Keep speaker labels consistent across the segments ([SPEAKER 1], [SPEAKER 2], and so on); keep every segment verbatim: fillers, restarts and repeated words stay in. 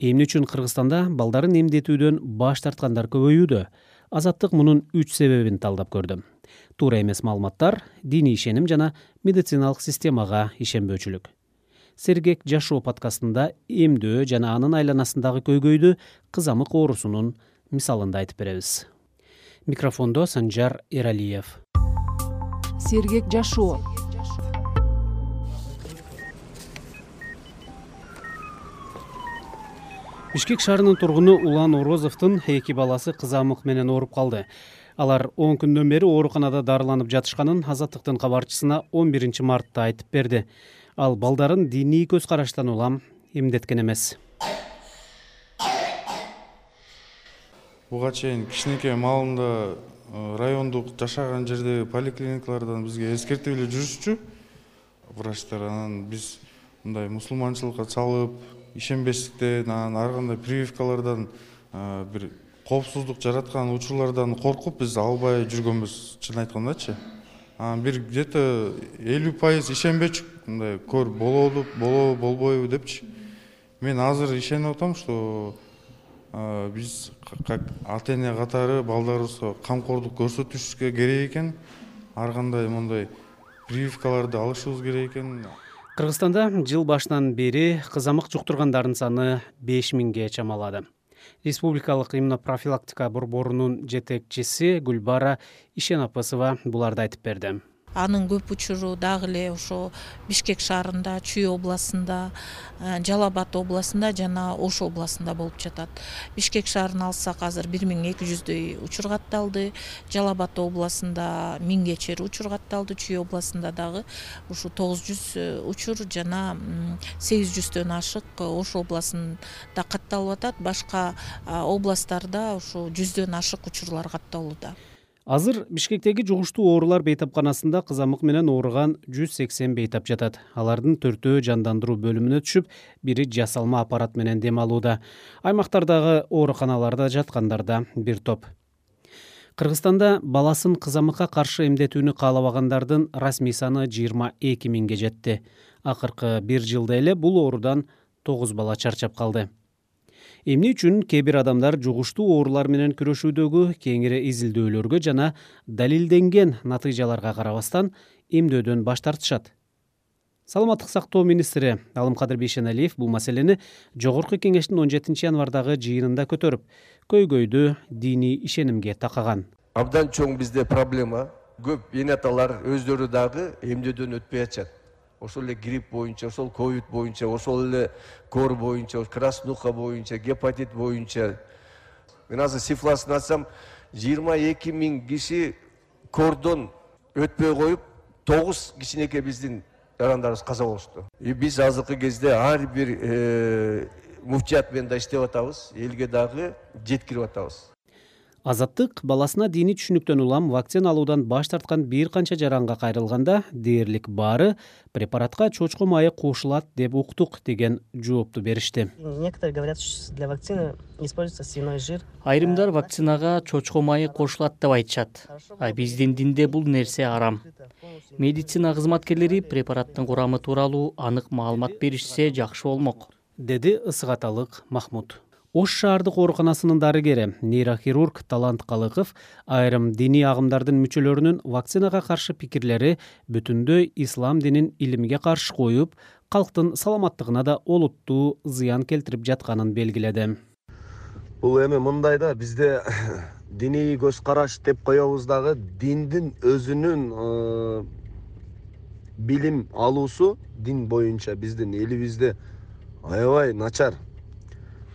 [SPEAKER 1] Эмне үчүн Кыргызстанда балдарын эмдетүүдөн баш тарткандар көбөйүүдө? Азаттык мунун үч себебин талдап көрдү. Туура эмес маалыматтар, диний ишеним жана медициналык системага ишенбөөчүлүк. Сергек жашоо подкастында эмдөө жана анын айланасындагы көйгөйдү кызамык оорусунун мисалында айтып беребиз. Микрофондо Санжар Эралиев.
[SPEAKER 2] Сергек жашоо.
[SPEAKER 1] Бишкек шаарынын тургуну Улан Орозовдун эки баласы кызамык менен ооруп калды. Алар он күндөн бери ооруканада дарыланып жатышканын Азаттыктын кабарчысына он биринчи мартта айтып берди. Ал балдарын диний көз караштан улам эмдеткен эмес.
[SPEAKER 3] Буга чейин кичинекей маалында райондук жашаган жердеги поликлиникалардан бизге эскертип эле жүрүшчү врачтар. Анан биз мындай мусулманчылыкка чалып, ишенбестиктен, анан ар кандай прививкалардан бир коопсуздук жараткан учурлардан коркуп биз албай жүргөнбүз, чын айткандачы. Анан бир где-то элүү пайыз ишенбечүк, мындай көр болобу, болобу, болбойбу депчи. Мен азыр ишенип атам, что биз как ата-эне катары балдарыбызга камкордук көрсөтүшкө керек экен, ар кандай мындай прививкаларды алышыбыз керек экен.
[SPEAKER 1] Кыргызстанда жыл башынан бери кызамык жуктургандардын саны беш миңге чамалады. Республикалык иммунопрофилактика борборунун жетекчиси Гүлбара Ишенапасова буларды айтып берди.
[SPEAKER 4] Анын көп учуру дагы эле ошо Бишкек шаарында, Чүй областында, Жалал Абад областында жана Ош областында болуп жатат. Бишкек шаарын алсак азыр бир миң эки жүздөй учур катталды. Жалал Абад областында миңге чейин учур катталды. Чүй областында дагы ушу тогуз жүз учур жана сегиз жүздөн ашык Ош областында катталып атат. Башка областтарда ушу жүздөн ашык учурлар катталууда.
[SPEAKER 1] Азыр Бишкектеги жугуштуу оорулар бейтапканасында кызамык менен ооруган жүз сексен бейтап жатат. Алардын төртөө жандандыруу бөлүмүнө түшүп, бири жасалма аппарат менен дем алууда. Аймактардагы ооруканаларда жаткандар да бир топ. Кыргызстанда баласын кызамыкка каршы эмдетүүнү каалабагандардын расмий саны жыйырма эки миңге жетти. Акыркы бир жылда эле бул оорудан тогуз бала чарчап калды. Эмне үчүн кээ бир адамдар жугуштуу оорулар менен күрөшүүдөгү кеңири изилдөөлөргө жана далилденген натыйжаларга карабастан эмдөөдөн баш тартышат? Саламаттык сактоо министри Алымкадыр Бейшеналиев бул маселени Жогорку кеңештин он жетинчи январдагы жыйынында көтөрүп, көйгөйдү диний ишенимге такаган.
[SPEAKER 5] Абдан чоң бизде проблема. Көп эне аталар өздөрү дагы эмдөөдөн өтпөй атышат. Ошол эле грипп боюнча, ошол ковид боюнча, ошол эле кор боюнча, краснуха боюнча, гепатит боюнча. Мен азыр цифрасын айтсам, жыйырма эки миң киши кордон өтпөй коюп, тогуз кичинекей биздин жарандарыбыз каза болушту. И биз азыркы кезде ар бир муфтият менен да иштеп атабыз, элге дагы жеткирип атабыз.
[SPEAKER 1] Азаттык баласына диний түшүнүктөн улам вакцина алуудан баш тарткан бир канча жаранга кайрылганда дээрлик баары препаратка чочко майы кошулат деп уктук деген жоопту беришти.
[SPEAKER 6] Некоторые говорят, что для вакцины используется свиной жир.
[SPEAKER 7] Айрымдар вакцинага чочко майы кошулат деп айтышат. А биздин динде бул нерсе арам. Медицина кызматкерлери препараттын курамы тууралуу анык маалымат беришсе жакшы болмок,
[SPEAKER 1] деди Ысык-Аталык Махмуд. Ош шаардык ооруканасынын дарыгери, нейрохирург Талант Калыков айрым диний агымдардын мүчөлөрүнүн вакцинага каршы пикирлери бүтүндөй ислам динин илимге каршы коюп, калктын саламаттыгына да олуттуу зыян келтирип жатканын белгиледи.
[SPEAKER 8] Бул эми мындай да, бизде диний көз караш деп коебуз дагы диндин өзүнүн билим алуусу дин боюнча биздин элибизде аябай начар.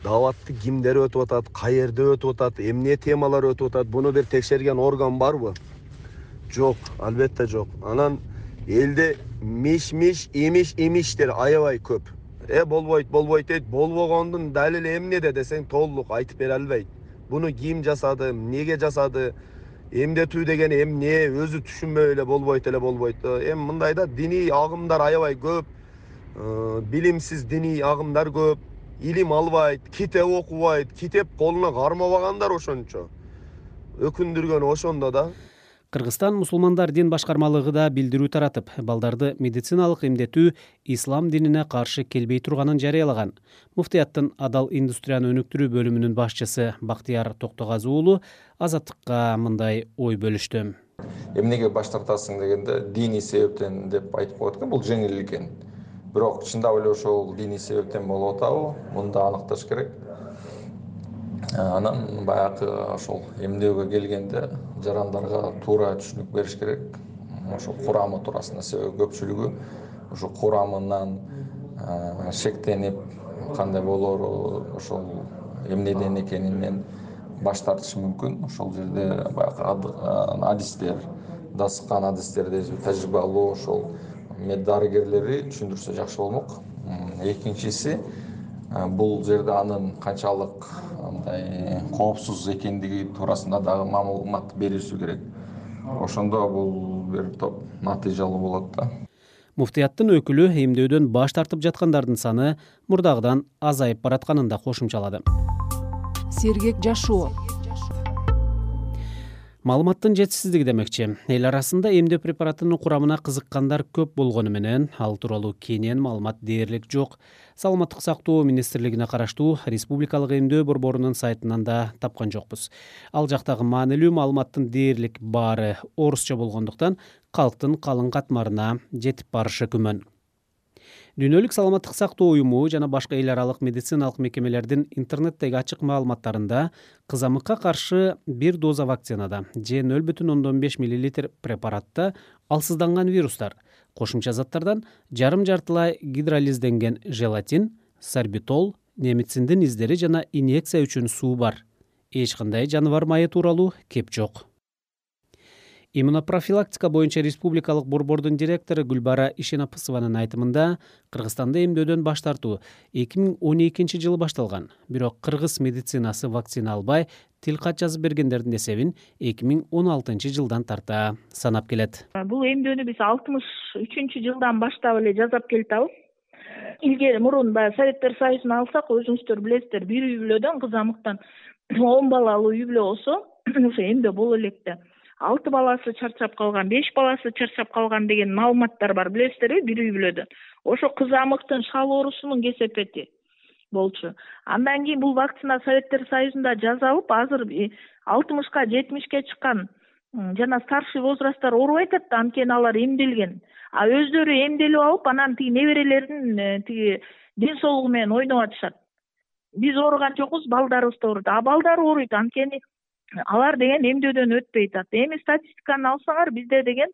[SPEAKER 8] Даватты кимдер өтүп атат, каерде өтүп атат, эмне темалар өтүп атат, буну бир текшерген орган барбы? Жок, албетте жок. Анан элде миш-миш, имиш-имиштер аябай көп. Э болбойт, болбойт дейт, болбогондун далили эмнеде десең толук айтып бере албайт. Буну ким жасады, эмнеге жасады, эмдетүү деген эмне, өзү түшүнбөй эле болбойт эле болбойт. Эми мындайда диний агымдар аябай көп, билимсиз диний агымдар көп. Илим албайт, китеп окубайт, китеп колуна кармабагандар ошончо. Өкүндүргөн ошондо да.
[SPEAKER 1] Кыргызстан мусулмандар дин башкармалыгы да билдирүү таратып, балдарды медициналык эмдетүү ислам динине каршы келбей турганын жарыялаган. Муфтияттын адал индустрияны өнүктүрүү бөлүмүнүн башчысы Бактияр Токтогазы уулу Азаттыкка мындай ой бөлүштү.
[SPEAKER 9] Эмнеге баш тартасың дегенде диний себептен деп айтып коет экен, бул жеңил экен. Бирок чындап эле ошол диний себептен болуп атабы? Муну да аныкташ керек. Анан баягы ошол эмдөөгө келгенде жарандарга туура түшүнүк бериш керек. Ошол курамы туурасында, себеби көпчүлүгү ошо курамынан шектенип, кандай болоору, ошол эмнеден экенинен баш тартышы мүмкүн. Ошол жерде баягы адистер, дасыккан адистерди, тажрыйбалуу ошол мед дарыгерлери түшүндүрсө жакшы болмок. Экинчиси, бул жерде анын канчалык андай коопсуз экендиги туурасында дагы маалымат бериши керек. Ошондо бул бир топ натыйжалуу болот да.
[SPEAKER 1] Муфтияттын өкүлү эмдөөдөн баш тартып жаткандардын саны мурдагыдан азайып баратканын да кошумчалады.
[SPEAKER 2] Сергек жашоо.
[SPEAKER 1] Маалыматтын жетишсиздиги демекчи. Эл арасында эмдөө препаратынын курамына кызыккандар көп болгону менен ал тууралуу кенен маалымат дээрлик жок. Саламаттык сактоо министрлигине караштуу Республикалык эмдөө борборунун сайтынан да тапкан жокпуз. Ал жактагы маанилүү маалыматтын дээрлик баары орусча болгондуктан калктын калың катмарына жетип барышы күмөн. Дүйнөлүк саламаттык сактоо уюму жана башка эл аралык медициналык мекемелердин интернеттеги ачык маалыматтарында кызамыкка каршы бир доза вакцинада же нөл бүтүн ондон беш миллилитр препаратта алсызданган вирустар, кошумча заттардан жарым жартылай гидролизденген желатин, сорбитол, немициндин издери жана инъекция үчүн суу бар. Эч кандай жаныбар майы тууралуу кеп жок. Иммунопрофилактика боюнча республикалык борбордун директору Гүлбара Ишенапысованын айтымында, Кыргызстанда эмдөөдөн баш тартуу эки миң он экинчи жылы башталган. Бирок кыргыз медицинасы вакцина албай тил кат жазып бергендердин эсебин эки миң он алтынчы жылдан тарта санап келет.
[SPEAKER 10] Бул эмдөөнү биз алтымыш үчүнчү жылдан баштап эле жасап келатабыз. Илгери мурун баягы Советтер Союзун алсак, өзүңүздөр билесиздер, бир үй бүлөдөн кызамыктан он балалуу үй бүлө болсо, ошо эмдөө боло электе. алты баласы чарчап калган, беш баласы чарчап калган деген маалыматтар бар, билесиздерби, бир үй бүлөдө. Ошо кызамыктын шал оорусунун кесепети болчу. Андан кийин бул вакцина Советтер Союзунда жасалып, азыр алтымышка, жетимишке чыккан жана старший возрасттар оорубай атат да, анткени алар эмделген. А өздөрү эмделип алып, анан тиги неберелердин тиги ден соолугу менен ойноп атышат. Биз ооруган жокпуз, балдарыбыз да ооруйт. А балдар ооруйт, анткени алар деген эмдөөдөн өтпөй атат. Эми статистиканы алсаңар, бизде деген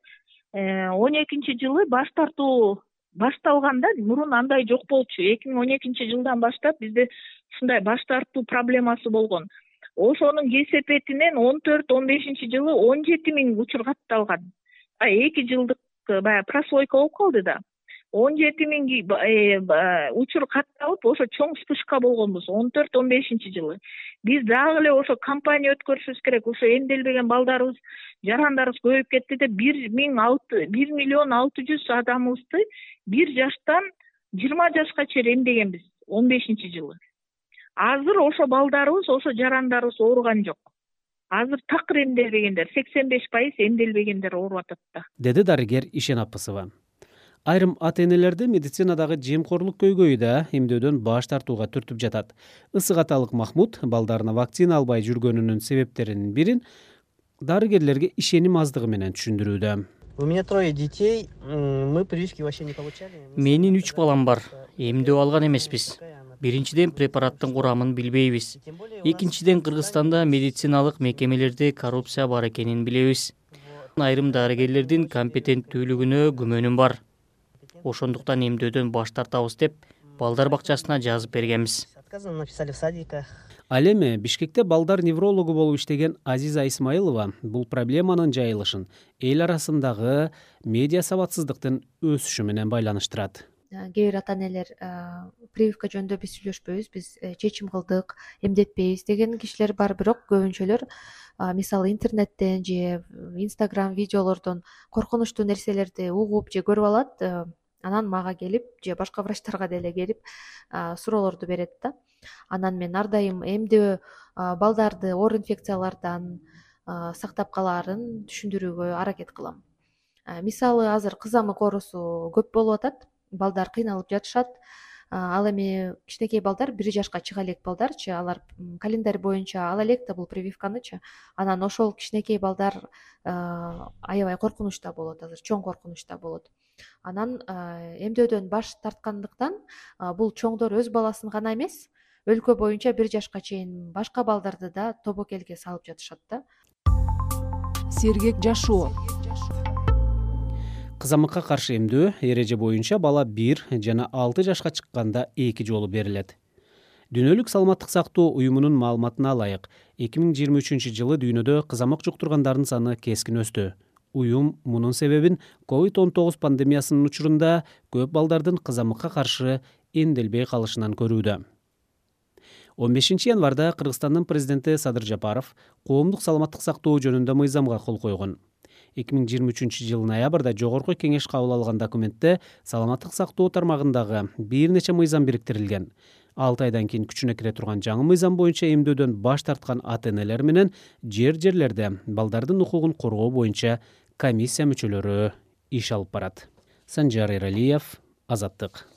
[SPEAKER 10] он экинчи жылы баш тартуу башталганда, мурун андай жок болчу. эки миң он экинчи жылдан баштап бизде ушундай баш тартуу проблемасы болгон. Ошонун кесепетинен он төрт он бешинчи жылы он жети миң учур катталган. эки жылдык баягы прослойка болуп калды да. он жети миң учур катталып, ошо чоң вспышка болгонбуз он төрт он бешинчи жылы. Биз дагы эле ошо кампания өткөрүшүбүз керек. Ошо эмделбеген балдарыбыз, жарандарыбыз көбөйүп кетти деп бир миллион алты жүз адамыбызды бир жаштан жыйырма жашка чейин эмдегенбиз он бешинчи жылы. Азыр ошо балдарыбыз, ошо жарандарыбыз ооруган жок. Азыр такыр эмделбегендер, сексен беш пайыз эмделбегендер ооруп атат да.
[SPEAKER 1] Деди дарыгер Ишенапысова. Айрым ата-энелерди медицинадагы жемкорлук көйгөйү да эмдөөдөн баш тартууга түртүп жатат. Ысык аталык Махмуд балдарына вакцина албай жүргөнүнүн себептеринин бирин дарыгерлерге ишеним аздыгы менен түшүндүрүүдө.
[SPEAKER 6] У меня трое детей, мы прививки вообще не получали.
[SPEAKER 7] Менин үч балам бар. Эмдөө алган эмеспиз. Биринчиден препараттын курамын билбейбиз. Экинчиден Кыргызстанда медициналык мекемелерде коррупция бар экенин билебиз. Айрым дарыгерлердин компетенттүүлүгүнө күмөнүм бар. Ошондуктан эмдөөдөн баш тартабыз деп балдар бакчасына жазып бергенбиз.
[SPEAKER 1] Ал эми Бишкекте балдар неврологу болуп иштеген Азиза Исмаилова бул проблеманын жайылышын эл арасындагы медиа сабатсыздыктын өсүшү менен байланыштырат.
[SPEAKER 11] Кээ бир ата-энелер прививка жөнүндө биз сүйлөшпөйбүз, биз чечим кылдык, эмдетпейбиз деген кишилер бар, бирок көбүнчөлөр мисалы интернеттен же Instagram видеолордон коркунучтуу нерселерди угуп же көрүп алат, анан мага келип же башка врачтарга деле келип суроолорду берет да. Анан мен ар дайым эмдөө балдарды оор инфекциялардан, сактап калаарын түшүндүрүүгө аракет кылам. Мисалы азыр кызамык оорусу көп болуп атат, балдар кыйналып жатышат. Ал эми кичинекей балдар, бир жашка чыга элек балдарчы, алар календарь боюнча ала элек да бул прививканычы. Анан ошол кичинекей балдар аябай коркунучта болот, азыр чоң коркунучта болот. Анан эмдөөдөн баш тарткандыктан бул чоңдор өз баласын гана эмес, өлкө боюнча бир жашка чейин башка балдарды да тобокелге салып жатышат да.
[SPEAKER 2] Сергек жашоо.
[SPEAKER 1] Кызамыкка каршы эмдөө эреже боюнча бала бир жана алты жашка чыкканда эки жолу берилет. Дүйнөлүк саламаттык сактоо уюмунун маалыматына ылайык, эки миң жыйырма үчүнчү жылы дүйнөдө кызамык жуктургандардын саны кескин өстү. Уюм мунун себебин ковид он тогуз пандемиясынын учурунда көп балдардын кызамыкка каршы эмделбей калышынан көрүүдө. он бешинчи январда Кыргызстандын президенти Садыр Жапаров коомдук саламаттык сактоо жөнүндө мыйзамга кол койгон. эки миң жыйырма үчүнчү жылы ноябрда Жогорку Кеңеш кабыл алган документте саламаттык сактоо тармагындагы бир нече мыйзам бириктирилген. алты айдан кийин күчүнө кире турган жаңы мыйзам боюнча эмдөөдөн баш тарткан ата-энелер менен жер-жерлерде балдардын укугун коргоо боюнча комиссия мүчөлөрү иш алып барат. Санжар Эралиев, Азаттык.